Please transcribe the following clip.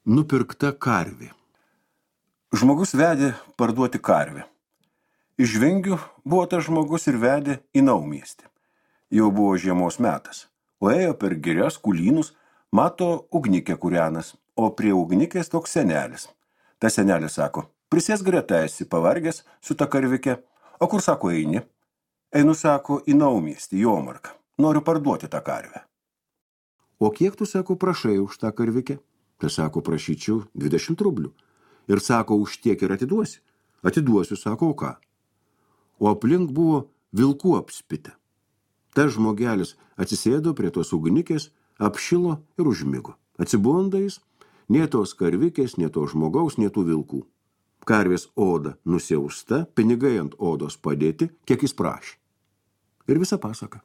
Nupirkta karvė. Žmogus vedė parduoti karvę. Iš Vingių buvo tas žmogus ir vedė į naumiestį. Jau buvo žiemos metas, o ėjo per girias kulynus, mato ugnikę kūrenas, o prie ugnikės toks senelis. Ta senelis sako, prisės greta esi pavargęs su ta karvike, o kur sako eini? Einu, sako, į naumiestį, Jomarką, noriu parduoti tą karvę. O kiek tu, sako, prašai už tą karvikę? Tai sako, prašyčiau 20 rublių. Ir sako, už tiek ir atiduosi. Atiduosiu, sako, o ką? O aplink buvo vilkų apspitę. Tas žmogelis atsisėdo prie tos ugnikės, apšilo ir užmigo. Atsibunda jis, nė tos karvikės, nė to žmogaus, nė tų vilkų. Karvės oda nusiausta, pinigai ant odos padėti, kiek jis prašė. Ir visa pasaka.